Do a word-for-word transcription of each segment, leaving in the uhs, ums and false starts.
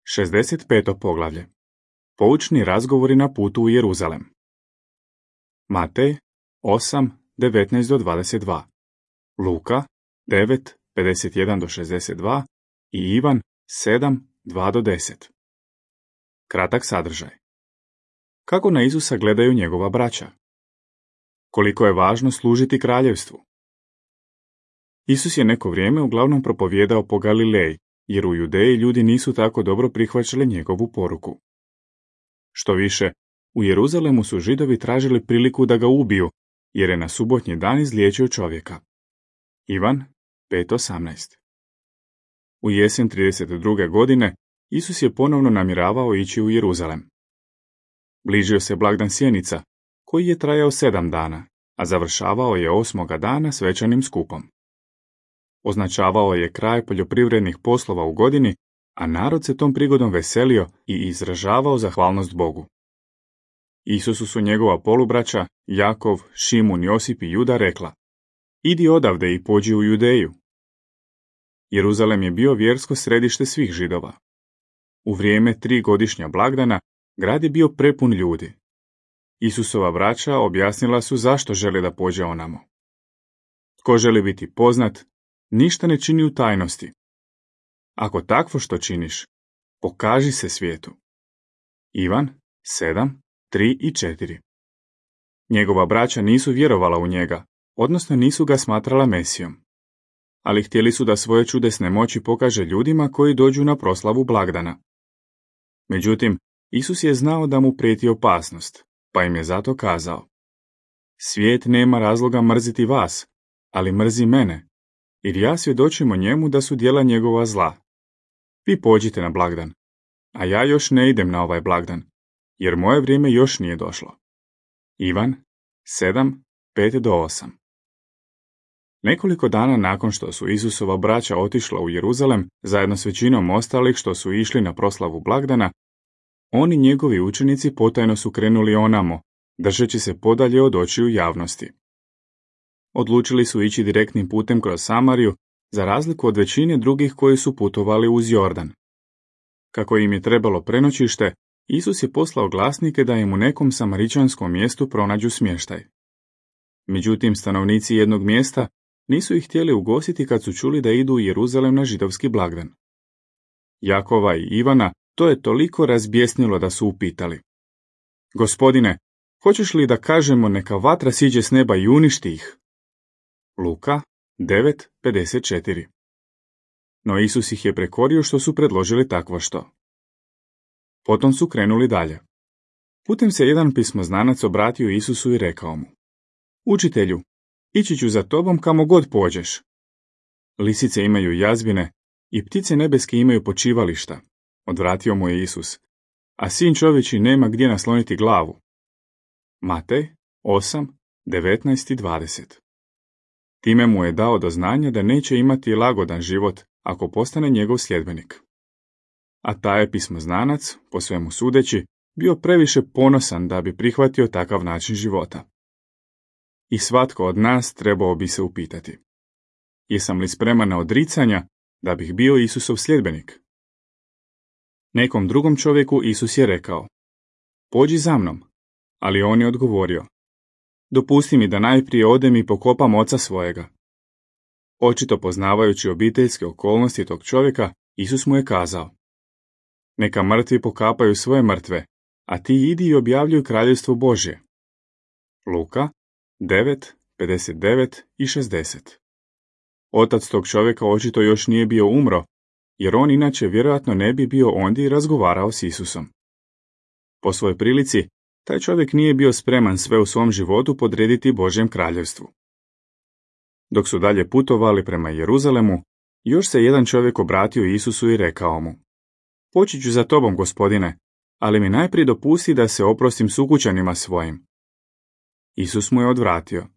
šezdeset peto poglavlje. Poučni razgovori na putu u Jeruzalem. Matej osam, devetnaest do dvadeset dva. Luka devet, pedeset jedan do šezdeset dva i Ivan sedam, dva do deset. Kratak sadržaj. Kako na Isusa gledaju njegova braća? Koliko je važno služiti kraljevstvu? Isus je neko vrijeme uglavnom propovijedao po Galileji, jer u Judeji ljudi nisu tako dobro prihvaćali njegovu poruku. Što više, u Jeruzalemu su Židovi tražili priliku da ga ubiju, jer je na subotnji dan izliječio čovjeka. Ivan pet osamnaest. U jesen trideset druge godine Isus je ponovno namjeravao ići u Jeruzalem. Bližio se blagdan Sjenica, koji je trajao sedam dana, a završavao je osmoga dana svečanim skupom. Označavao je kraj poljoprivrednih poslova u godini, a narod se tom prigodom veselio i izražavao zahvalnost Bogu. Isusu su njegova polubraća, Jakov, Šimun, Josip i Juda rekla: idi odavde i pođi u Judeju. Jeruzalem je bio vjersko središte svih Židova. U vrijeme tri godišnja blagdana grad je bio prepun ljudi. Isusova braća objasnila su zašto žele da pođe onamo. Tko želi biti poznat, ništa ne čini u tajnosti. Ako takvo što činiš, pokaži se svijetu. Ivan sedam, tri i četiri. Njegova braća nisu vjerovala u njega, odnosno nisu ga smatrala Mesijom. Ali htjeli su da svoje čudesne moći pokaže ljudima koji dođu na proslavu blagdana. Međutim, Isus je znao da mu prijeti opasnost, pa im je zato kazao: svijet nema razloga mrziti vas, ali mrzi mene, jer ja svjedočim o njemu da su djela njegova zla. Vi pođite na blagdan, a ja još ne idem na ovaj blagdan, jer moje vrijeme još nije došlo. Ivan sedam, pet do osam. Nekoliko dana nakon što su Isusova braća otišla u Jeruzalem, zajedno s većinom ostalih što su išli na proslavu blagdana, oni njegovi učenici potajno su krenuli onamo, držeći se podalje od očiju javnosti. Odlučili su ići direktnim putem kroz Samariju, za razliku od većine drugih koji su putovali uz Jordan. Kako im je trebalo prenoćište, Isus je poslao glasnike da im u nekom samaričanskom mjestu pronađu smještaj. Međutim, stanovnici jednog mjesta nisu ih htjeli ugostiti kad su čuli da idu u Jeruzalem na židovski blagdan. Jakova i Ivana to je toliko razbjesnilo da su upitali: Gospodine, hoćeš li da kažemo neka vatra siđe s neba i uništi ih? Luka devet, pedeset četiri. No Isus ih je prekorio što su predložili takvo što. Potom su krenuli dalje. Putem se jedan pismoznanac obratio Isusu i rekao mu: Učitelju, ići ću za tobom kamo god pođeš. Lisice imaju jazbine i ptice nebeske imaju počivališta, odvratio mu je Isus, a sin čovječji nema gdje nasloniti glavu. Matej osam, devetnaest i dvadeset. Time mu je dao do znanja da neće imati lagodan život ako postane njegov sljedbenik. A taj je pismoznanac, po svemu sudeći, bio previše ponosan da bi prihvatio takav način života. I svatko od nas trebao bi se upitati: jesam li spreman na odricanja da bih bio Isusov sljedbenik? Nekom drugom čovjeku Isus je rekao: pođi za mnom, ali on je odgovorio: dopusti mi da najprije odem i pokopam oca svojega. Očito poznavajući obiteljske okolnosti tog čovjeka, Isus mu je kazao: neka mrtvi pokapaju svoje mrtve, a ti idi i objavljuj kraljevstvo Božje. Luka devet, pedeset devet i šezdeset. Otac tog čovjeka očito još nije bio umro, jer on inače vjerojatno ne bi bio ondje i razgovarao s Isusom. Po svojoj prilici, taj čovjek nije bio spreman sve u svom životu podrediti Božjem kraljevstvu. Dok su dalje putovali prema Jeruzalemu, još se jedan čovjek obratio Isusu i rekao mu: poći ću za tobom, Gospodine, ali mi najprije dopusti da se oprostim sukućanima svojim. Isus mu je odvratio: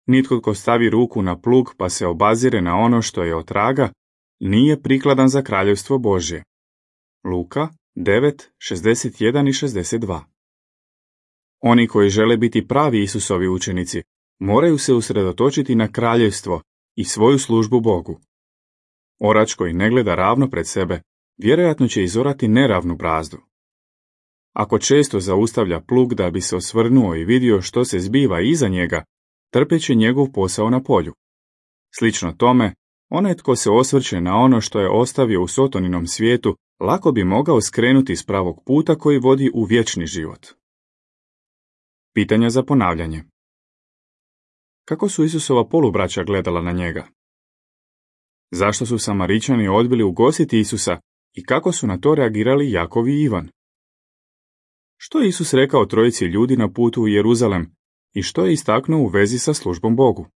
nitko tko stavi ruku na plug pa se obazire na ono što je otraga, nije prikladan za kraljevstvo Božje. Luka devet, šezdeset jedan i šezdeset dva. Oni koji žele biti pravi Isusovi učenici moraju se usredotočiti na kraljevstvo i svoju službu Bogu. Orač koji ne gleda ravno pred sebe, vjerojatno će izorati neravnu brazdu. Ako često zaustavlja plug da bi se osvrnuo i vidio što se zbiva iza njega, trpeće njegov posao na polju. Slično tome, onaj tko se osvrće na ono što je ostavio u Sotoninom svijetu, lako bi mogao skrenuti s pravog puta koji vodi u vječni život. Pitanja za ponavljanje. Kako su Isusova polubraća gledala na njega? Zašto su Samaričani odbili ugostiti Isusa i kako su na to reagirali Jakov i Ivan? Što je Isus rekao trojici ljudi na putu u Jeruzalem i što je istaknuo u vezi sa službom Bogu?